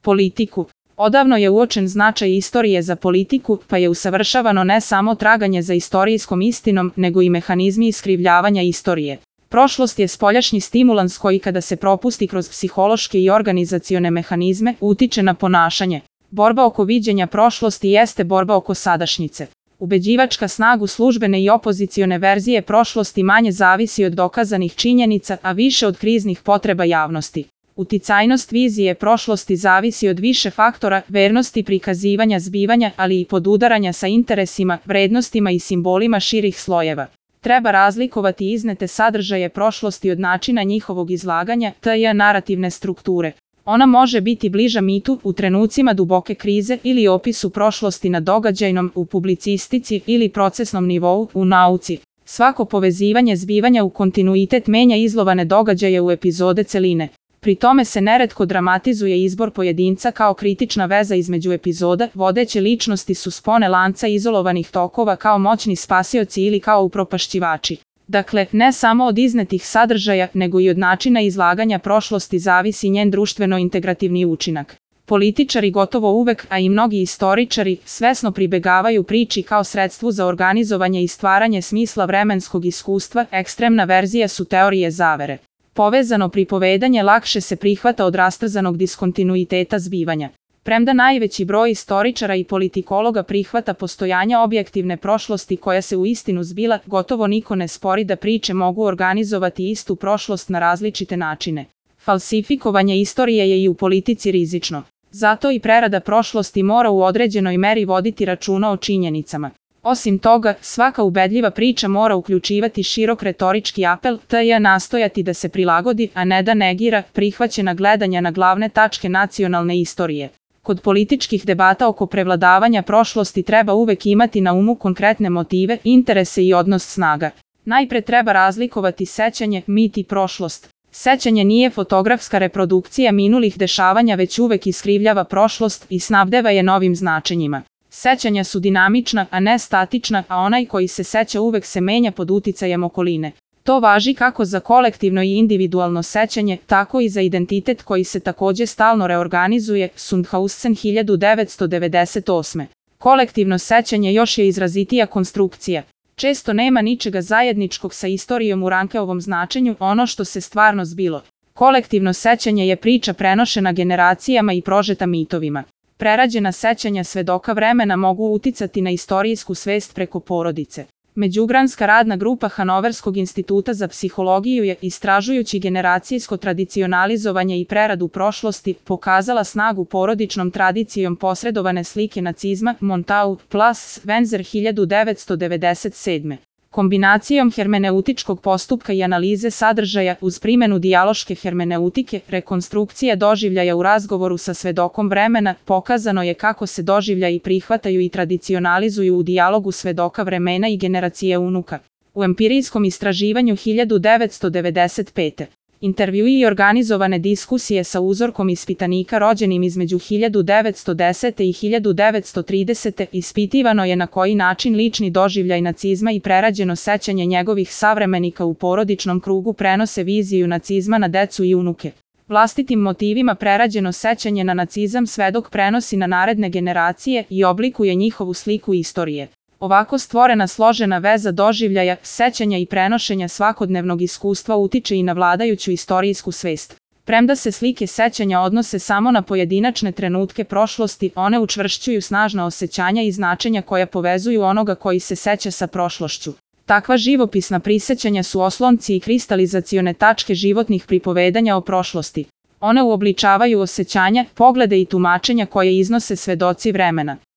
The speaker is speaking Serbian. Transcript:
Politiku. Odavno je uočen značaj istorije za politiku, pa je usavršavano ne samo traganje za istorijskom istinom, nego i mehanizmi iskrivljavanja istorije. Prošlost je spoljašnji stimulans koji kada se propusti kroz psihološke i organizacione mehanizme, utiče na ponašanje. Borba oko viđenja prošlosti jeste borba oko sadašnjice. Ubeđivačka snagu službene i opozicione verzije prošlosti manje zavisi od dokazanih činjenica, a više od kriznih potreba javnosti. Uticajnost vizije prošlosti zavisi od više faktora, vernosti prikazivanja zbivanja, ali i podudaranja sa interesima, vrednostima i simbolima širih slojeva. Treba razlikovati iznete sadržaje prošlosti od načina njihovog izlaganja, t.j. narativne strukture. Ona može biti bliža mitu u trenucima duboke krize ili opisu prošlosti na događajnom, u publicistici ili procesnom nivou, u nauci. Svako povezivanje zbivanja u kontinuitet menja izlovane događaje u epizode celine. Pri tome se neretko dramatizuje izbor pojedinca kao kritična veza između epizoda, vodeće ličnosti su spone lanca izolovanih tokova kao moćni spasioci ili kao upropašćivači. Dakle, ne samo od iznetih sadržaja, nego i od načina izlaganja prošlosti zavisi njen društveno-integrativni učinak. Političari gotovo uvek, a i mnogi istoričari, svesno pribegavaju priči kao sredstvu za organizovanje i stvaranje smisla vremenskog iskustva, ekstremna verzija su teorije zavere. Povezano pripovedanje lakše se prihvata od rastrzanog diskontinuiteta zbivanja. Premda najveći broj istoričara i politikologa prihvata postojanje objektivne prošlosti koja se uistinu zbila, gotovo niko ne spori da priče mogu organizovati istu prošlost na različite načine. Falsifikovanje istorije je i u politici rizično. Zato i prerada prošlosti mora u određenoj meri voditi računa o činjenicama. Osim toga, svaka ubedljiva priča mora uključivati širok retorički apel, t.j. nastojati da se prilagodi, a ne da negira, prihvaćena gledanja na glavne tačke nacionalne istorije. Kod političkih debata oko prevladavanja prošlosti treba uvek imati na umu konkretne motive, interese i odnos snaga. Najpre treba razlikovati sećanje, mit i prošlost. Sećanje nije fotografska reprodukcija minulih dešavanja, već uvek iskrivljava prošlost i snabdeva je novim značenjima. Sećanja su dinamična, a ne statična, a onaj koji se seća uvek se menja pod uticajem okoline. To važi kako za kolektivno i individualno sećanje, tako i za identitet koji se takođe stalno reorganizuje, Sundhausen 1998. Kolektivno sećanje još je izrazitija konstrukcija. Često nema ničega zajedničkog sa istorijom u Rankeovom značenju, ono što se stvarno zbilo. Kolektivno sećanje je priča prenošena generacijama i prožeta mitovima. Prerađena sećanja svedoka vremena mogu uticati na istorijsku svest preko porodice. Međugranska radna grupa Hanoverskog instituta za psihologiju je, istražujući generacijsko tradicionalizovanje i preradu prošlosti, pokazala snagu porodičnom tradicijom posredovane slike nacizma, Montau, Plus, Wenzer 1997. Kombinacijom hermeneutičkog postupka i analize sadržaja uz primjenu dijaloške hermeneutike, rekonstrukcija doživljaja u razgovoru sa svedokom vremena, pokazano je kako se doživljaji prihvataju i tradicionalizuju u dijalogu svedoka vremena i generacije unuka. U empirijskom istraživanju 1995. Intervjui i organizovane diskusije sa uzorkom ispitanika rođenim između 1910. i 1930. ispitivano je na koji način lični doživljaj nacizma i prerađeno sećanje njegovih savremenika u porodičnom krugu prenose viziju nacizma na decu i unuke. Vlastitim motivima prerađeno sećanje na nacizam svedok prenosi na naredne generacije i oblikuje njihovu sliku istorije. Ovako stvorena složena veza doživljaja, sećanja i prenošenja svakodnevnog iskustva utiče i na vladajuću istorijsku svest. Premda se slike sećanja odnose samo na pojedinačne trenutke prošlosti, one učvršćuju snažna osjećanja i značenja koja povezuju onoga koji se seća sa prošlošću. Takva živopisna prisećanja su oslonci i kristalizacione tačke životnih pripovedanja o prošlosti. One uobličavaju osjećanja, poglede i tumačenja koje iznose svedoci vremena.